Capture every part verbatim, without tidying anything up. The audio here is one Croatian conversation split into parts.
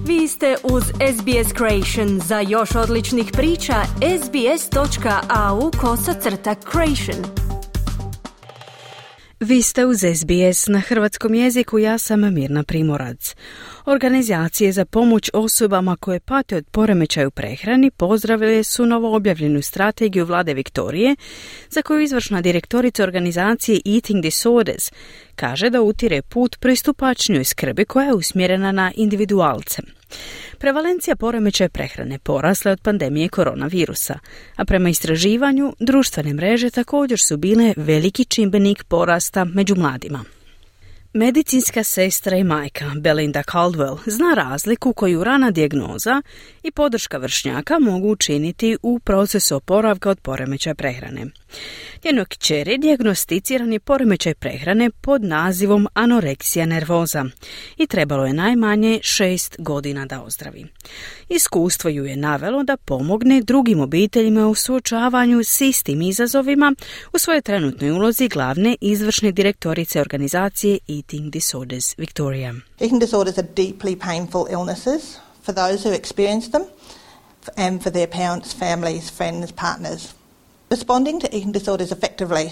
Vi ste uz S B S Creation. Za još odličnih priča, sbs.au kosacrta creation. Vi ste uz S B S na hrvatskom jeziku, ja sam Mirna Primorac. Organizacije za pomoć osobama koje pate od poremećaja u prehrani pozdravile su novo objavljenu strategiju vlade Viktorije, za koju izvršna direktorica organizacije Eating Disorders kaže da utire put pristupačnijoj skrbi koja je usmjerena na individualce. Prevalencija poremećaja prehrane porasla je od pandemije koronavirusa, a prema istraživanju društvene mreže također su bile veliki čimbenik porasta među mladima. Medicinska sestra i majka Belinda Caldwell zna razliku koju rana dijagnoza i podrška vršnjaka mogu učiniti u procesu oporavka od poremećaja prehrane. Njenoj kćeri dijagnosticiran je poremećaj prehrane pod nazivom anoreksija nervoza i trebalo je najmanje šest godina da ozdravi. Iskustvo ju je navelo da pomogne drugim obiteljima u suočavanju s istim izazovima u svojoj trenutnoj ulozi glavne izvršne direktorice organizacije Eating Disorders Victoria. Eating disorders are deeply painful illnesses for those who experience them and for their parents, families, friends, partners. Responding to eating disorders effectively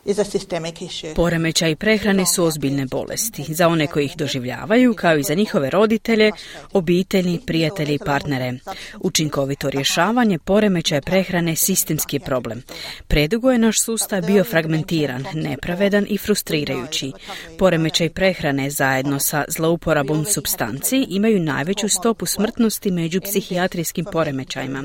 is a systemic issue. Poremećaji prehrane su ozbiljne bolesti za one koji ih doživljavaju, kao i za njihove roditelje, obitelji, prijatelje i partnere. Učinkovito rješavanje poremećaja prehrane sistemski je problem. Predugo je naš sustav bio fragmentiran, nepravedan i frustrirajući. Poremećaj prehrane zajedno sa zlouporabom supstanci imaju najveću stopu smrtnosti među psihijatrijskim poremećajima,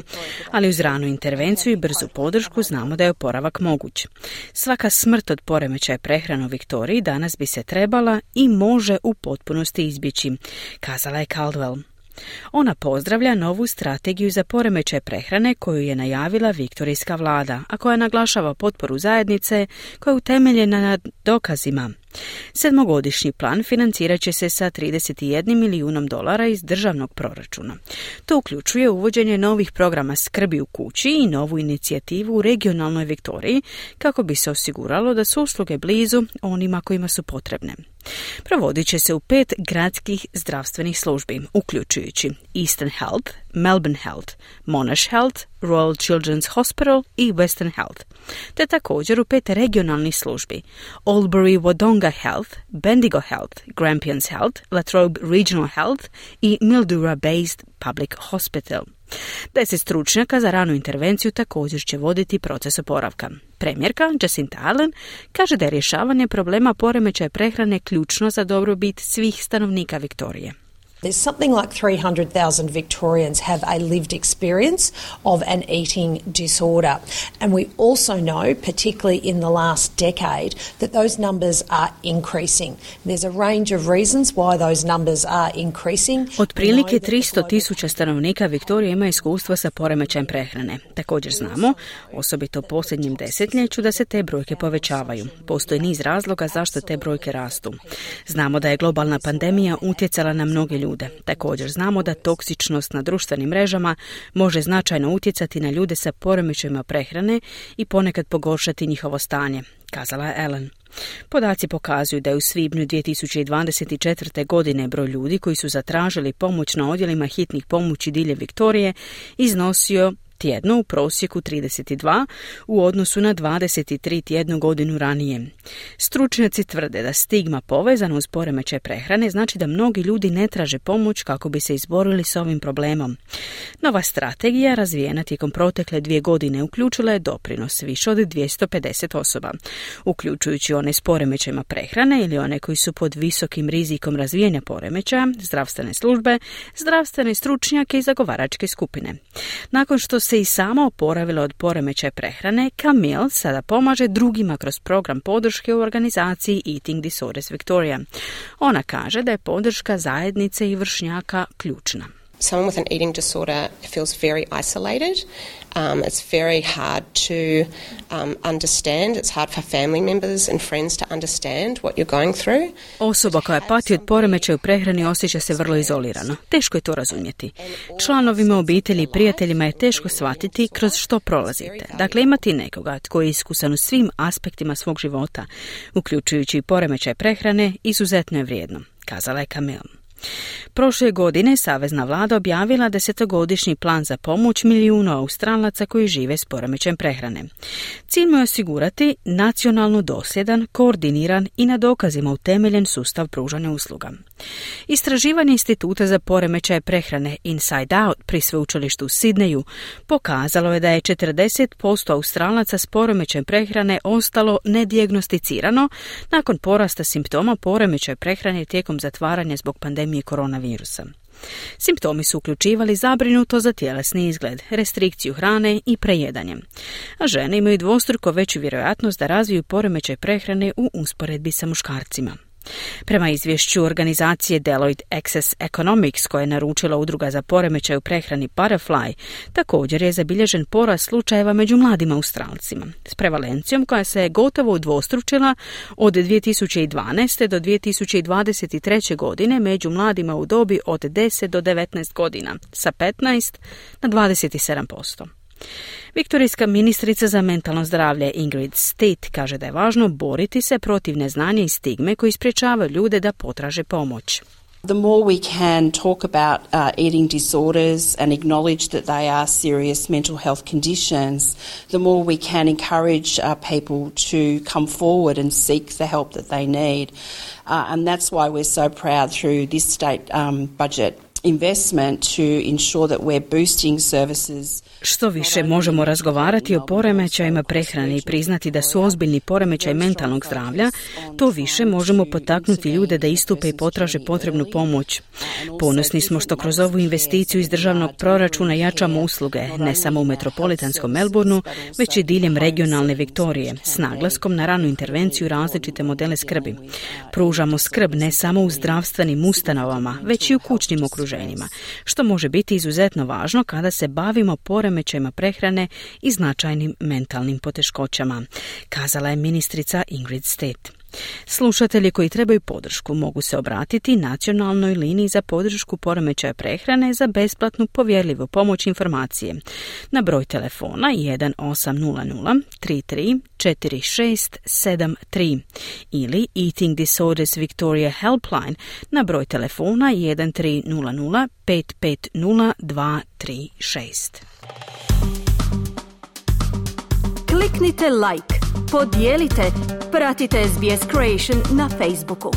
ali uz ranu intervenciju i brzu podršku znamo da je oporavak moguć. Svaka smrt od poremećaja prehrane u Viktoriji danas bi se trebala i može u potpunosti izbjeći, kazala je Caldwell. Ona pozdravlja novu strategiju za poremećaj prehrane koju je najavila viktorijska vlada, a koja naglašava potporu zajednice koja je utemeljena na dokazima. Sedmogodišnji plan financirat će se sa trideset jedan milijunom dolara iz državnog proračuna. To uključuje uvođenje novih programa skrbi u kući i novu inicijativu u regionalnoj Viktoriji kako bi se osiguralo da su usluge blizu onima kojima su potrebne. Provodit će se u pet gradskih zdravstvenih službi, uključujući Eastern Health, Melbourne Health, Monash Health, Royal Children's Hospital i Western Health, te također u pet regionalnih službi, Albury Wodonga Health, Bendigo Health, Grampians Health, Latrobe Regional Health i Mildura-based Public Hospital. Deset stručnjaka za ranu intervenciju također će voditi proces oporavka. Premijerka Jacinta Ardern kaže da je rješavanje problema poremećaja prehrane ključno za dobrobit svih stanovnika Viktorije. There's something like three hundred thousand Victorians have a lived experience of an eating disorder. And we also know, particularly in the last decade, that those numbers are increasing. There's a range of reasons why those numbers are increasing. Otprilike tristo tisuća stanovnika Viktorije ima iskustva sa poremećajem prehrane. Također znamo, osobito u posljednjem desetljeću, da se te brojke povećavaju. Postoji niz razloga zašto te brojke rastu. Znamo da je globalna pandemija utjecala na mnoge ljude. Također znamo da toksičnost na društvenim mrežama može značajno utjecati na ljude sa poremećajima prehrane i ponekad pogoršati njihovo stanje, kazala je Ellen. Podaci pokazuju da je u svibnju dvije tisuće dvadeset četvrte. godine broj ljudi koji su zatražili pomoć na odjelima hitnih pomoći diljem Viktorije iznosio tjedno u prosjeku trideset dva u odnosu na dvadeset tri tjednu godinu ranije. Stručnjaci tvrde da stigma povezana uz poremećaj prehrane znači da mnogi ljudi ne traže pomoć kako bi se izborili s ovim problemom. Nova strategija, razvijena tijekom protekle dvije godine, uključila je doprinos više od dvjesto pedeset osoba, uključujući one s poremećajima prehrane ili one koji su pod visokim rizikom razvijanja poremećaja, zdravstvene službe, zdravstvene stručnjake i zagovaračke skupine. Nakon što se i sama oporavila od poremećaja prehrane, Camille sada pomaže drugima kroz program podrške u organizaciji Eating Disorders Victoria. Ona kaže da je podrška zajednice i vršnjaka ključna. Someone with an eating disorder feels very isolated. Um, it's very hard to um, understand. It's hard for family members and friends to understand what you're going through. Osoba koja pati od poremećaja u prehrani osjeća se vrlo izolirano. Teško je to razumjeti. Članovima obitelji i prijateljima je teško shvatiti kroz što prolazite. Dakle, imati nekoga tko je iskusan u svim aspektima svog života, uključujući i poremećaj prehrane, izuzetno je vrijedno, kazala je Camille. Prošle godine savezna vlada objavila desetogodišnji plan za pomoć milijunu Australaca koji žive s poremećajem prehrane. Cilj mu je osigurati nacionalno dosljedan, koordiniran i na dokazima utemeljen sustav pružanja usluga. Istraživanje Instituta za poremećaje prehrane Inside Out pri sveučilištu u Sidneju pokazalo je da je četrdeset posto Australaca s poremećajem prehrane ostalo nedijagnosticirano nakon porasta simptoma poremećaja prehrane tijekom zatvaranja zbog pandemije koronavirusa. Simptomi su uključivali zabrinuto za tjelesni izgled, restrikciju hrane i prejedanje. A žene imaju dvostruko veću vjerojatnost da razviju poremećaj prehrane u usporedbi sa muškarcima. Prema izvješću organizacije Deloitte Access Economics, koje je naručila udruga za poremećaj u prehrani Butterfly, također je zabilježen porast slučajeva među mladim Australcima, s prevalencijom koja se je gotovo udvostručila od dvije tisuće dvanaeste do dvije tisuće dvadeset treće. godine među mladima u dobi od deset do devetnaest godina, sa petnaest na dvadeset sedam posto. Viktorijska ministrica za mentalno zdravlje Ingrid State kaže da je važno boriti se protiv neznanja i stigme koji sprječavaju ljude da potraže pomoć. The more we can talk about uh, eating disorders and acknowledge that they are serious mental health conditions, the more we can encourage uh, people to come forward and seek the help that they need. Uh, and that's why we're so proud through this state um, budget investment to ensure that we're boosting services. Što više možemo razgovarati o poremećajima prehrane i priznati da su ozbiljni poremećaj mentalnog zdravlja, to više možemo potaknuti ljude da istupe i potraže potrebnu pomoć. Ponosni smo što kroz ovu investiciju iz državnog proračuna jačamo usluge, ne samo u metropolitanskom Melbourneu, već i diljem regionalne Viktorije, s naglaskom na ranu intervenciju i različite modele skrbi. Pružamo skrb ne samo u zdravstvenim ustanovama, već i u kućnim okruženjima, što može biti izuzetno važno kada se bavimo poremećajima prehrane i značajnim mentalnim poteškoćama, kazala je ministrica Ingrid State. Slušatelji koji trebaju podršku mogu se obratiti nacionalnoj liniji za podršku poremećaja prehrane za besplatnu povjerljivu pomoć informacije na broj telefona jedan osam nula nula tri tri četiri šest sedam tri ili Eating Disorders Victoria Helpline na broj telefona jedan tri nula nula pet pet nula dva tri šest. Kliknite like, podijelite, pratite S B S Creation na Facebooku.